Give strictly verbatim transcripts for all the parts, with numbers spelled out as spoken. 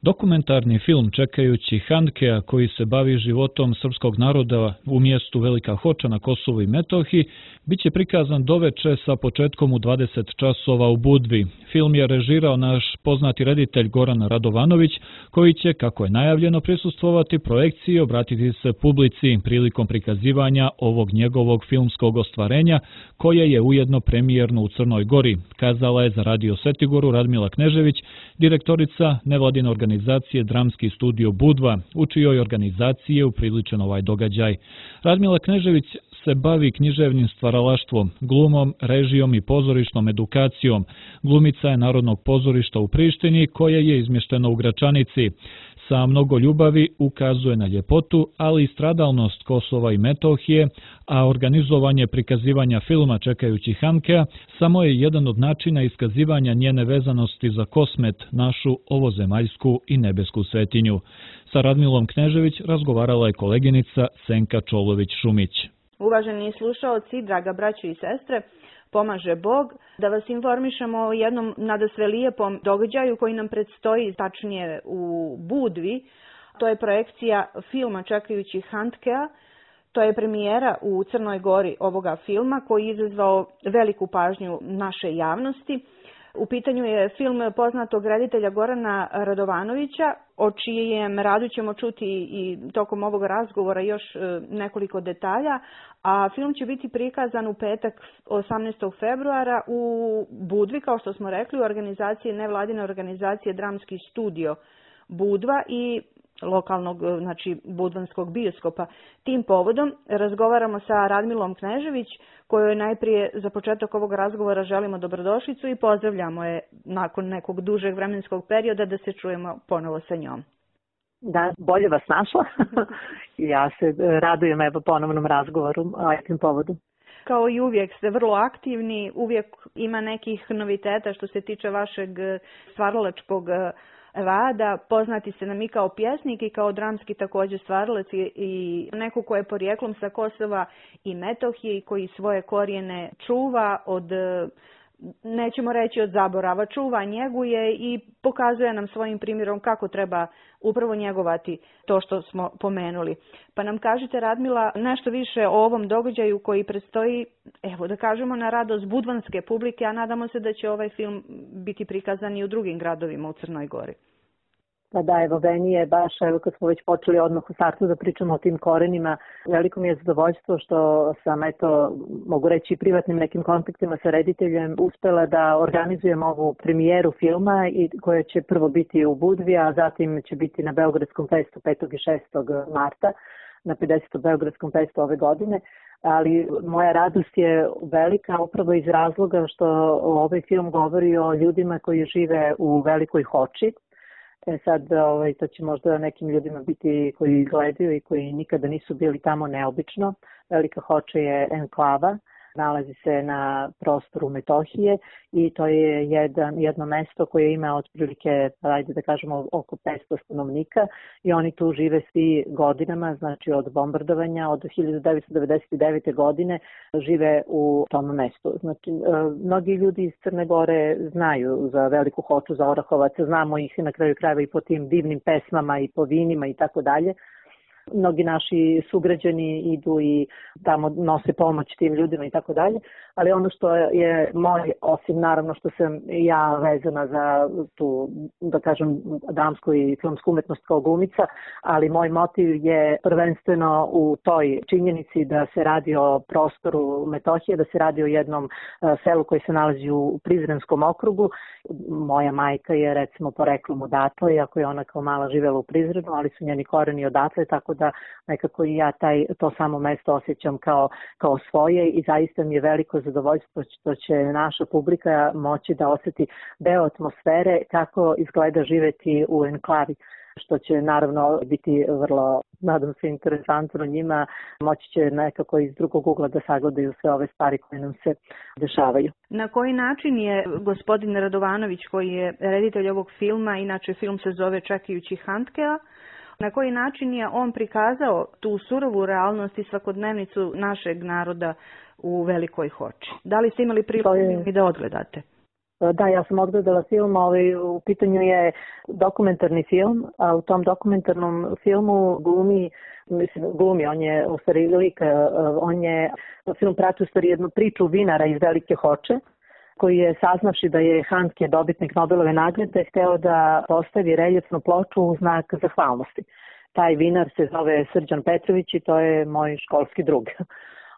Dokumentarni film Čekajući Handkea, koji se bavi životom srpskog naroda u mjestu Velika Hoča na Kosovu i Metohiji, bit će prikazan doveče sa početkom u dvadeset časova u Budvi. Film je režirao naš poznati reditelj Goran Radovanović, koji će, kako je najavljeno, prisustvovati projekciji i obratiti se publici prilikom prikazivanja ovog njegovog filmskog ostvarenja, koje je ujedno premijerno u Crnoj Gori, kazala je za Radio Setigoru Radmila Knežević, direktorica nevladine organizacije Dramski studio Budva, u čijoj organizaciji je upriličen ovaj događaj. Radmila Knežević se bavi književnim stvaralaštvom, glumom, režijom i pozorišnom edukacijom. Glumica je Narodnog pozorišta u Prištini, koje je izmješteno u Gračanici. Sa mnogo ljubavi ukazuje na ljepotu, ali i stradalnost Kosova i Metohije, a organizovanje prikazivanja filma Čekajući Handkea samo je jedan od načina iskazivanja njene vezanosti za Kosmet, našu ovozemaljsku i nebesku svetinju. Sa Radmilom Knežević razgovarala je koleginica Senka Čolović-Šumić. Uvaženi slušaoci, draga braćo i sestre, pomaže Bog, da vas informišemo o jednom nadasve lijepom događaju koji nam predstoji, tačnije u Budvi. To je projekcija filma Čekajući Handkea. To je premijera u Crnoj Gori ovoga filma koji je izazvao veliku pažnju naše javnosti. U pitanju je film poznatog reditelja Gorana Radovanovića, o čijem radu ćemo čuti i tokom ovog razgovora još nekoliko detalja, a film će biti prikazan u petak osamnaestog februara u Budvi, kao što smo rekli, u organizaciji nevladine organizacije Dramski studio Budva i lokalnog, znači budvanskog bioskopa. Tim povodom razgovaramo sa Radmilom Knežević, kojoj najprije za početak ovog razgovora želimo dobrodošlicu i pozdravljamo je nakon nekog dužeg vremenskog perioda da se čujemo ponovo sa njom. Da, bolje vas našla. Ja se radujem evo ponovnom razgovoru o tim povodu. Kao i uvijek ste vrlo aktivni, uvijek ima nekih noviteta što se tiče vašeg stvaralačkog rada. Poznati ste nam i kao pjesnik i kao dramski također stvaralac i neko ko je porijeklom sa Kosova i Metohije i koji svoje korijene čuva od, nećemo reći od zaborava, čuva, njeguje i pokazuje nam svojim primjerom kako treba upravo njegovati to što smo pomenuli. Pa nam kažite, Radmila, nešto više o ovom događaju koji predstoji, evo da kažemo, na radost budvanske publike, a nadamo se da će ovaj film biti prikazan i u drugim gradovima u Crnoj Gori. Pa da, evo, meni je baš, evo kad smo već počeli odmah u startu da pričamo o tim korenima, veliko mi je zadovoljstvo što sam, eto, mogu reći privatnim nekim kontaktima sa rediteljem uspela da organizujem ovu premijeru filma i koja će prvo biti u Budvi, a zatim će biti na Beogradskom festu petog i šestog marta, na pedesetom Beogradskom festu ove godine. Ali moja radost je velika upravo iz razloga što ovaj film govori o ljudima koji žive u Velikoj Hoči. E sad, ovaj, to će možda nekim ljudima biti koji gledaju i koji nikada nisu bili tamo neobično. Velika Hoča je enklava, nalazi se na prostoru Metohije i to je jedan, jedno mesto koje ima otprilike, ajde da kažemo, oko petsto stanovnika i oni tu žive svi godinama, znači od bombardovanja, od hiljadu devetsto devedeset devete. godine žive u tom mestu. Znači, mnogi ljudi iz Crne Gore znaju za Veliku Hoču, za Orahovac, znamo ih na kraju krajeva i po tim divnim pesmama i po vinima i tako dalje. Mnogi naši sugrađani idu i tamo nose pomoć tim ljudima i tako dalje, ali ono što je moj, osim naravno što sam ja vezana za tu, da kažem, dramsku i filmsku umetnost kao glumica, ali moj motiv je prvenstveno u toj činjenici da se radi o prostoru Metohije, da se radi o jednom selu koji se nalazi u Prizrenskom okrugu. Moja majka je recimo poreklom odatle, iako je ona kao mala živela u Prizrenu, ali su njeni koreni odatle, tako da nekako i ja taj, to samo mesto osjećam kao, kao svoje i zaista mi je veliko zadovoljstvo što će naša publika moći da osjeti deo atmosfere kako izgleda živeti u enklavi, što će naravno biti vrlo, nadam se, interesantno njima, moći će nekako iz drugog ugla da sagledaju sve ove stvari koje nam se dešavaju. Na koji način je gospodin Radovanović, koji je reditelj ovog filma, inače film se zove Čekajući Handkea, na koji način je on prikazao tu surovu realnost i svakodnevnicu našeg naroda u Velikoj Hoči? Da li ste imali priliku je... da odgledate? Da, ja sam odgledala film, ovaj, u pitanju je dokumentarni film, a u tom dokumentarnom filmu glumi, mislim, glumi, on je u stvari lik, on je, film prati u stvari jednu priču vinara iz Velike Hoče, koji je saznavši da je Handke dobitnik Nobelove nagrade, hteo da postavi reljefnu ploču u znak zahvalnosti. Taj vinar se zove Srđan Petrović i to je moj školski drug.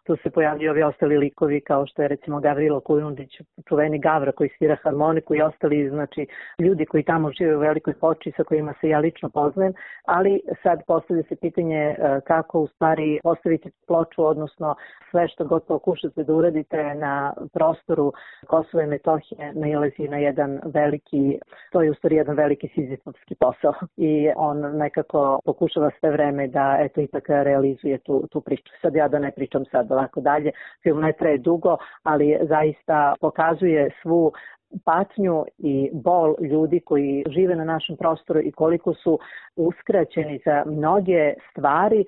Tu se pojavljaju ovi ostali likovi kao što je recimo Gavrilo Kujundić, čuveni Gavra koji svira harmoniku i ostali, znači, ljudi koji tamo žive u Velikoj Hoči sa kojima se ja lično poznajem, ali sad postavlja se pitanje kako u stvari postaviti ploču, odnosno sve što god pokušate da uradite na prostoru Kosova i Metohije nailazi na jedan veliki, to je u stvari jedan veliki sizifovski posao i on nekako pokušava sve vreme da eto ipak realizuje tu, tu priču. Sad ja da ne pričam sad ovako dalje, film ne traje dugo, ali zaista pokazuje svu patnju i bol ljudi koji žive na našem prostoru i koliko su uskraćeni za mnoge stvari.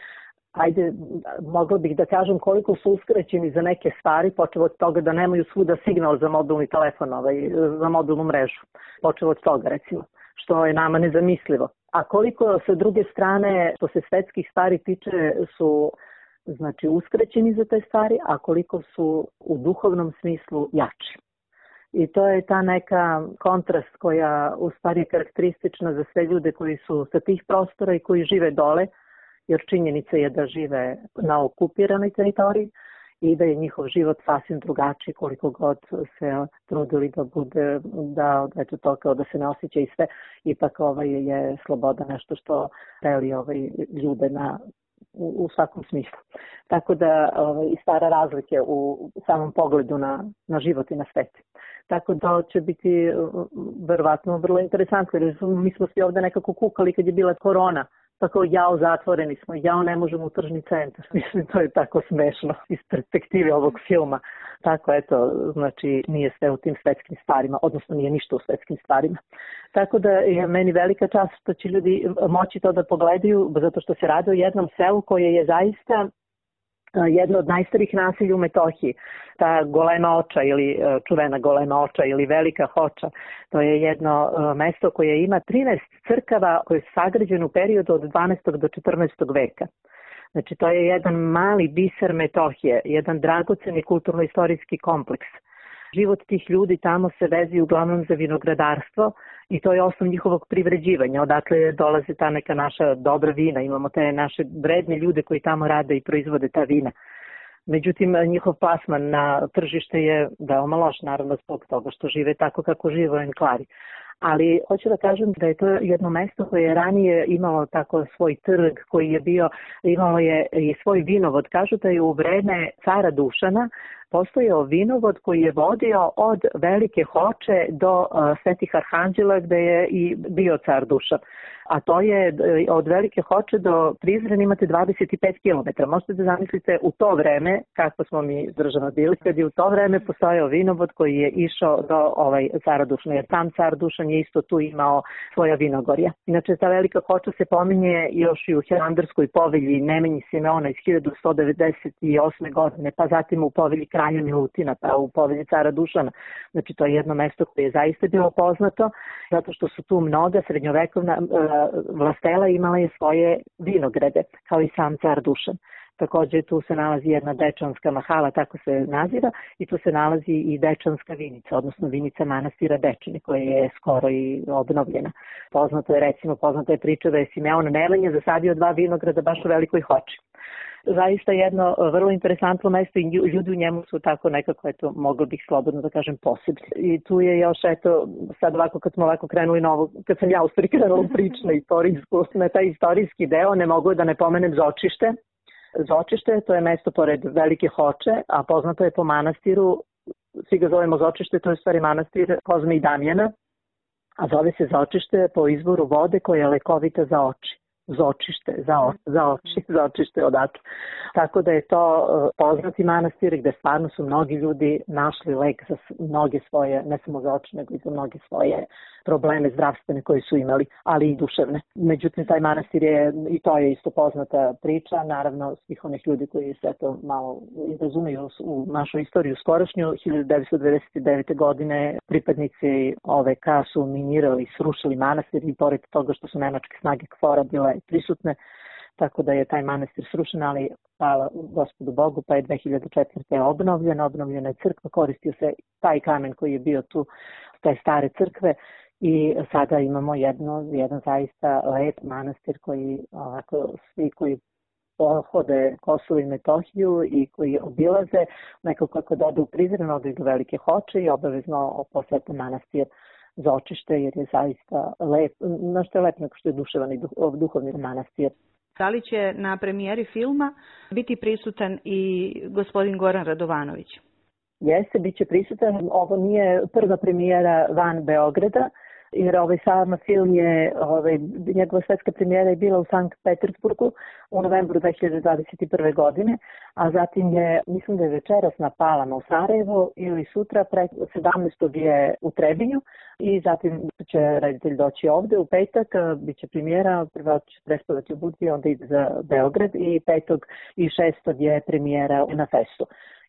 Ajde, mogla bih da kažem koliko su uskraćeni za neke stvari, počeo od toga da nemaju svuda signal za mobilni telefon, ovaj, za mobilnu mrežu. Počeo od toga, recimo, što je nama nezamislivo. A koliko sa druge strane, što se svetskih stvari tiče, su znači uskraćeni za te stvari, a koliko su u duhovnom smislu jači. I to je ta neka kontrast koja u stvari je karakteristična za sve ljude koji su sa tih prostora i koji žive dole, jer činjenica je da žive na okupiranoj teritoriji i da je njihov život sasvim drugačiji koliko god se trudili da bude, da, eto to kao da se ne osjeća i sve, ipak ovaj je sloboda nešto što deli ovaj ljude na U, u svakom smislu. Tako da ovaj, i stvara razlike u samom pogledu na, na život i na svet. Tako da će biti verovatno vrlo interesantno, jer mi smo svi ovde nekako kukali kad je bila korona, tako jao zatvoreni smo, jao ne možemo u tržni centar. Mislim, to je tako smešno iz perspektive ovog filma. Tako, eto, znači nije sve u tim svetskim stvarima, odnosno nije ništa u svetskim stvarima. Tako da je meni velika čast što će ljudi moći to da pogledaju, zato što se radi o jednom selu koje je zaista jedno od najstarijih naselja u Metohiji. Ta Golema Oča ili čuvena Golema Oča ili Velika Hoča, to je jedno mesto koje ima trinaest crkava koje su sagrađene u periodu od dvanaestog do četrnaestog veka. Znači to je jedan mali biser Metohije, jedan dragoceni kulturno-istorijski kompleks. Život tih ljudi tamo se vezi uglavnom za vinogradarstvo i to je osnov njihovog privređivanja. Odatle dolaze ta neka naša dobra vina, imamo te naše vredne ljude koji tamo rade i proizvode ta vina. Međutim, njihov plasman na tržište je veoma loš, naravno zbog toga što žive tako kako žive u enklavi. Ali hoću da kažem da je to jedno mesto koje je ranije imalo tako svoj trg koji je bio, imalo je i svoj vinovod. Kažu da je u vreme cara Dušana postojao vinovod koji je vodio od Velike Hoče do uh, Svetih Arhanđela gde je i bio car Dušan. A to je od Velike Hoče do Prizrena imate dvadeset pet kilometara. Možete da zamislite u to vreme, kako smo mi država bili, kad je u to vreme postojao vinovod koji je išao do ovaj cara Dušana, jer tam car Dušan je isto tu imao svoja vinogorja. Inače, ta Velika Hoča se pominje još i u Hilandarskoj povelji Nemanji Simeona iz hiljadu sto devedeset osme godine, pa zatim u povelji kralja Milutina, pa u povelji cara Dušana. Znači, to je jedno mesto koje je zaista bilo poznato, zato što su tu mnoga srednjovekovna vlastela imala je svoje vinograde, kao i sam car Dušan. Također tu se nalazi jedna Dečanska mahala, tako se naziva, i tu se nalazi i Dečanska vinica, odnosno vinica manastira Dečani, koja je skoro i obnovljena. Poznato je, recimo, poznata je priča da je Simeon Nemanja zasadio dva vinograda baš u Velikoj Hoči. Zaista jedno vrlo interesantno mesto i ljudi u njemu su tako nekako, eto, mogla bih slobodno da kažem posebni. I tu je još, eto, sad ovako kad smo ovako krenuli novo, kad sam ja uspori krenula u priču na istorijsku, na taj istorijski deo, ne mogu da ne pomenem Zočište. Zočište, to je mesto pored Velike Hoče, a poznato je po manastiru, svi ga zovemo Zočište, to je stvari manastir Kozme i Damjana, a zove se Zočište po izvoru vode koja je lekovita za oči. Zočište, za, o, za oči, Zočište odatle. Tako da je to poznati manastir gde stvarno su mnogi ljudi našli lek za mnoge svoje, ne samo za oči, nego i za mnoge svoje probleme zdravstvene koje su imali, ali i duševne. Međutim, taj manastir je, i to je isto poznata priča, naravno svih onih ljudi koji se to malo razumeju u našu istoriju skorašnju. hiljadu devetsto devedeset devete. godine pripadnici O V K su minirali, srušili manastir i pored toga što su nemačke snage K F O R-a bile prisutne, tako da je taj manastir srušen, ali hvala Gospodu Bogu, pa je dve hiljade četvrte. obnovljen, obnovljena je crkva, koristio se taj kamen koji je bio tu, te stare crkve, i sada imamo jedno, jedan zaista lep manastir koji ovako svi koji pohode Kosovo i Metohiju i koji obilaze, nekako kako dođu u Prizren, odu do Velike Hoče i obavezno posete manastir Zočište, jer je zaista lep, nešto je lep nego što je duševan i duhovni manastir. Da li će na premijeri filma biti prisutan i gospodin Goran Radovanović? Jeste, bit će prisutan. Ovo nije prva premijera van Beograda, jer ovaj sam film je, ovaj, njegova svetska premijera je bila u Sankt Petersburgu u novembru dve hiljade dvadeset prve. godine, a zatim je, mislim da je večeras na Palama u Sarajevu ili sutra, pre sedamnaestog je u Trebinju i zatim će reditelj doći ovde u petak, bit će premijera, prvo će prespavati u Budvi, onda ide za Beograd i petog i šestog je premijera na Festu.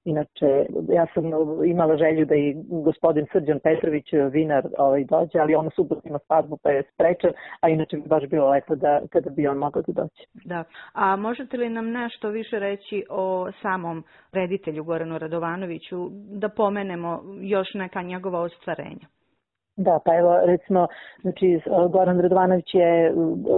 Inače, ja sam imala želju da i gospodin Srđan Petrović, vinar, ovaj, dođe, ali on u subotu ima svadbu pa je sprečen, a inače bi baš bilo lepo da kada bi on mogao da dođe. Da. A možete li nam nešto više reći o samom reditelju Goranu Radovanoviću, da pomenemo još neka njegova ostvarenja? Da, pa evo recimo, znači Goran Radovanović je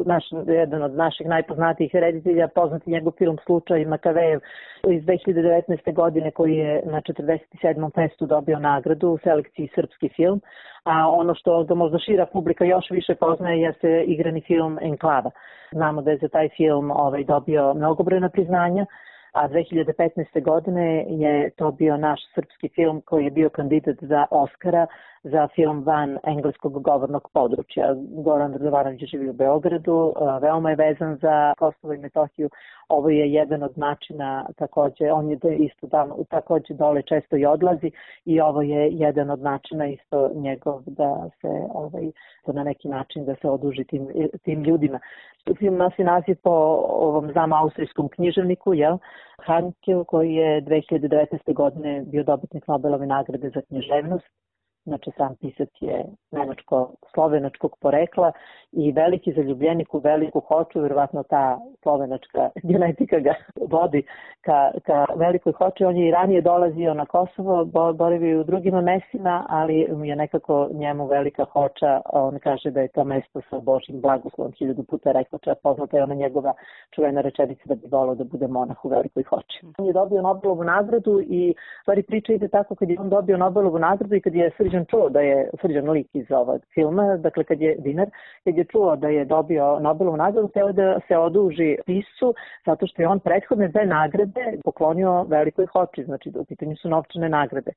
naš, jedan od naših najpoznatijih reditelja, poznati njegov film Slučaj Makavejev iz dve hiljade devetnaeste. godine koji je na četrdeset sedmom festu dobio nagradu u selekciji srpski film, a ono što ga možda šira publika još više poznaje jeste igrani film Enklava. Znamo da je za taj film ovaj, dobio mnogobrojna priznanja, a dve hiljade petnaeste. godine je to bio naš srpski film koji je bio kandidat za Oskara za film van engleskog govornog područja. Goran Radovanović živi u Beogradu, veoma je vezan za Kosovo i Metohiju. Ovo je jedan od načina, takođe, on je isto tamo, takođe dole često i odlazi i ovo je jedan od načina isto njegov da se ovaj, na neki način da se oduži tim, tim ljudima. Film nosi naziv po ovom znam austrijskom književniku, jel? Hankel, koji je dve hiljade devetnaeste. godine bio dobitnik Nobelove nagrade za književnost. Znači, sam pisac je nemačko-slovenačkog porekla i veliki zaljubljenik u Veliku Hoču, vjerovatno ta slovenačka genetika ga vodi ka, ka Velikoj Hoči. On je i ranije dolazio na Kosovo, boravio u drugim mestima, ali mu je nekako njemu Velika Hoča, on kaže da je to mesto sa Božjim blagoslovom, hiljadu puta rekao, čak poznata je ona njegova čuvena rečenica da bi volao da bude monah u Velikoj Hoči. On je dobio Nobelovu nagradu i stvari priča ide tako kad je on dobio Nobelovu nagradu i kad je Srđan čuo da je Srđan lik iz ovog filma, dakle kad je dinar, kad je čuo da je dobio Nobelovu nagradu, hteo da se oduži piscu zato što je on prethodne dve nagrade poklonio Velikoj Hoči, znači u pitanju su novčane nagrade.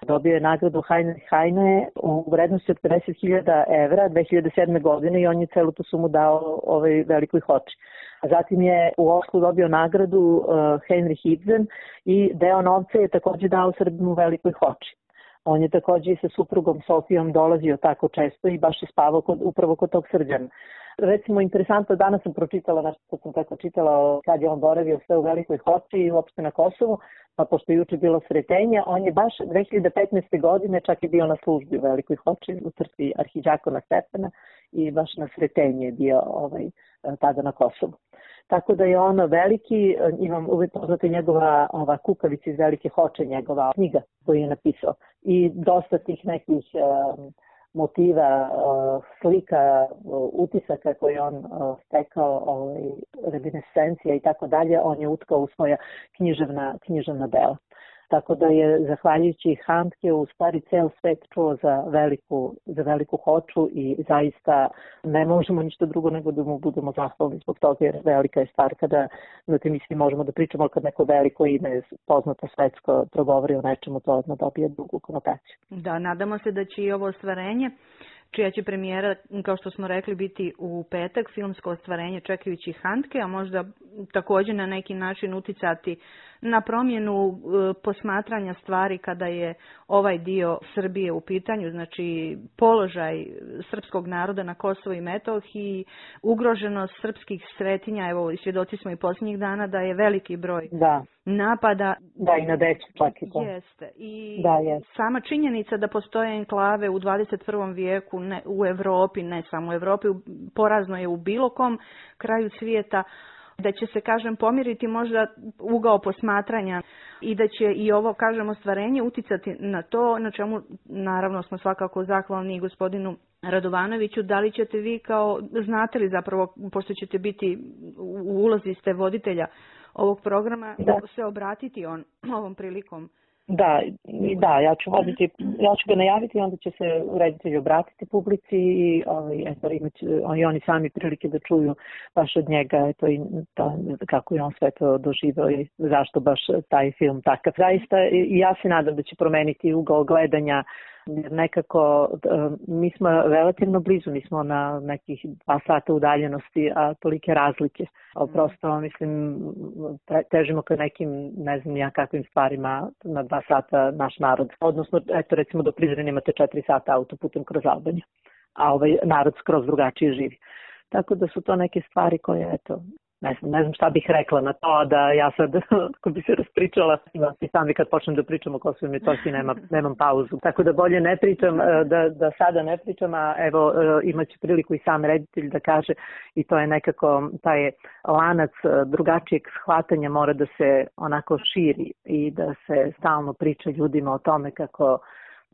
Dobio je nagradu Heinrich Heine u vrednosti od pedeset hiljada evra dve hiljade sedme. godine i on je celu tu sumu dao ovoj Velikoj Hoči. A zatim je u Oslu dobio nagradu uh, Heinrich Ibsen i deo novca je takođe dao Srbima u Velikoj Hoči. On je takođe i sa suprugom Sofijom dolazio tako često i baš je spavao kod, upravo kod tog Srđana. Recimo, interesantno, danas sam pročitala nešto što sam tako čitala kad je on boravio sve u Velikoj Hoči i uopšte na Kosovu, pa pošto je juče bilo sretenje, on je baš dve hiljade petnaeste. godine čak i bio na službi u Velikoj Hoči u crkvi Arhidžakona Stefana i baš na sretenje je bio ovaj, tada na Kosovu. Tako da je ono veliki, imam uvijek poznate njegova ova kukavica iz Velike Hoče, njegova knjiga koju je napisao. I dosta tih nekih um, motiva, uh, slika, uh, utisaka koje on uh, stekao, ovaj, reminiscencija i tako dalje, on je utkao u svoja književna, književna dela. Tako da je, zahvaljujući Handke, u stvari ceo svet čuo za veliku, za Veliku Hoču i zaista ne možemo ništa drugo nego da mu budemo zahvalni zbog toga, jer velika je stvar kada na tim misli možemo da pričamo kad neko veliko ime poznato svetsko progovori o nečemu, to odmah dobije drugu konotaciju. Da, nadamo se da će i ovo ostvarenje čija će premijera, kao što smo rekli, biti u petak, filmsko ostvarenje Čekajući Handke, a možda također na neki način uticati na promjenu posmatranja stvari kada je ovaj dio Srbije u pitanju, znači položaj srpskog naroda na Kosovu i Metohiji, ugroženost srpskih svetinja, evo svjedoci smo i posljednjih dana da je veliki broj da. napada. Da, i na decu čak i to. Jeste. I da, jest. sama činjenica da postoje enklave u dvadeset prvom vijeku ne, u Europi, ne samo u Europi, porazno je u bilo kom kraju svijeta, da će se, kažem, pomiriti možda ugao posmatranja i da će i ovo, kažem, ostvarenje uticati na to, na čemu naravno smo svakako zahvalni gospodinu Radovanoviću. Da li ćete vi kao, znate li zapravo, pošto ćete biti u ulozi ste voditelja ovog programa, da se obratiti on ovom prilikom? Da, da, ja ću voditi, ja ću ga najaviti i onda će se reditelji obratiti publici i ovaj, eto, imati i oni sami prilike da čuju baš od njega eto, i ta, kako je on sve to doživao i zašto baš taj film takav. Zaista i ja se nadam da će promeniti ugao gledanja, jer nekako mi smo relativno blizu, mi smo na nekih dva sata udaljenosti, a tolike razlike. Ali prosto, mislim, težimo ka nekim, ne znam ja kakvim stvarima na dva sata naš narod. Odnosno, eto recimo do Prizrena imate četiri sata autoputem kroz Albaniju, a ovaj narod skroz drugačije živi. Tako da su to neke stvari koje, eto, ne znam, ne znam šta bih rekla na to, da ja sad, ako bi se raspričala, i sami kad počnem da pričam o Kosovu i Metohiji, nema, nemam pauzu. Tako da bolje ne pričam, da, da sada ne pričam, a evo imaće priliku i sam reditelj da kaže, i to je nekako taj lanac drugačijeg shvatanja mora da se onako širi i da se stalno priča ljudima o tome kako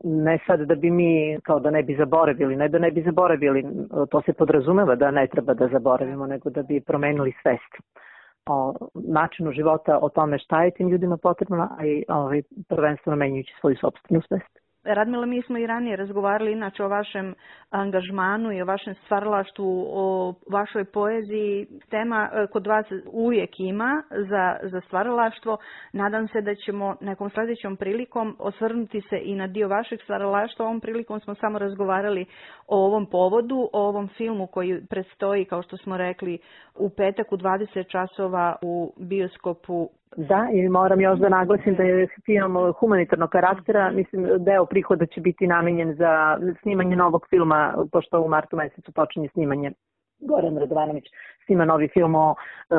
ne sad da bi mi, kao da ne bi zaboravili, ne da ne bi zaboravili, to se podrazumeva da ne treba da zaboravimo, nego da bi promenili svest o načinu života, o tome šta je tim ljudima potrebno, a i ovaj, prvenstveno menjajući svoju sopstvenu svest. Radmila, mi smo i ranije razgovarali inače o vašem angažmanu i o vašem stvaralaštvu, o vašoj poeziji. Tema kod vas uvijek ima za, za stvaralaštvo. Nadam se da ćemo nekom sljedećom prilikom osvrnuti se i na dio vašeg stvaralaštva. Ovom prilikom smo samo razgovarali o ovom povodu, o ovom filmu koji predstoji, kao što smo rekli, u petak u dvadeset časova u bioskopu. Da, i moram još da naglasim da je film humanitarnog karaktera. Mislim, deo prihoda će biti namenjen za snimanje novog filma, pošto u martu mesecu počinje snimanje. Goran Radovanović snima novi film o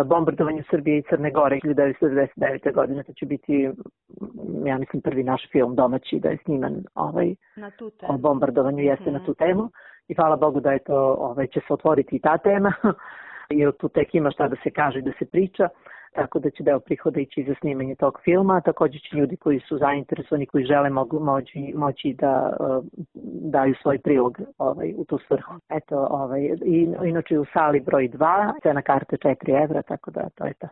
bombardovanju Srbije i Crne Gore hiljadu devetsto devedeset devete. godine. To će biti, ja mislim, prvi naš film domaći da je sniman ovaj, na tu temu. O bombardovanju, jeste mm. na tu temu. I hvala Bogu da je to, ovaj, će se otvoriti i ta tema, jer tu tek ima šta da se kaže i da se priča. Tako da će deo prihoda ići za snimanje tog filma. Također će ljudi koji su zainteresovani, koji žele mogu moći, moći da uh, daju svoj prilog ovaj, u tu svrhu. Eto, ovaj, i, inače u sali broj dva, cena karte četiri evra, tako da to je to.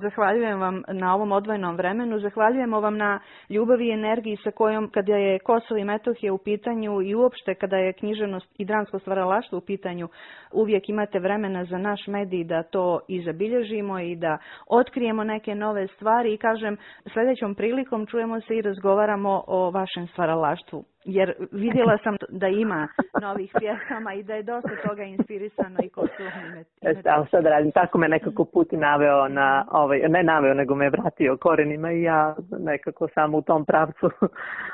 Zahvaljujem vam na ovom odvojenom vremenu, zahvaljujemo vam na ljubavi i energiji sa kojom, kada je Kosovo i Metohija u pitanju i uopšte kada je književnost i dramsko stvaralaštvo u pitanju, uvijek imate vremena za naš medij da to i zabilježimo i da otkrijemo neke nove stvari i kažem, sljedećom prilikom čujemo se i razgovaramo o vašem stvaralaštvu. Jer vidjela sam da ima novih pjesama i da je dosta toga inspirisano i Kosovom i Metohijom. Ali sad radim, tako me nekako put naveo na, ovaj, ne naveo, nego me vratio korenima i ja nekako samo u tom pravcu,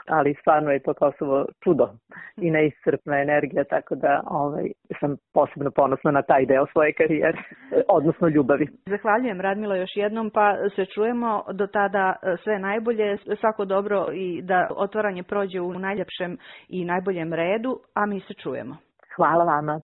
ali stvarno je to Kosovo čudo i neiscrpna energija, tako da ovaj, sam posebno ponosna na taj deo svoje karijere, odnosno ljubavi. Zahvaljujem, Radmila, još jednom, pa se čujemo do tada, sve najbolje, svako dobro i da otvaranje prođe u najljepšem i najboljem redu, a mi se čujemo. Hvala vama.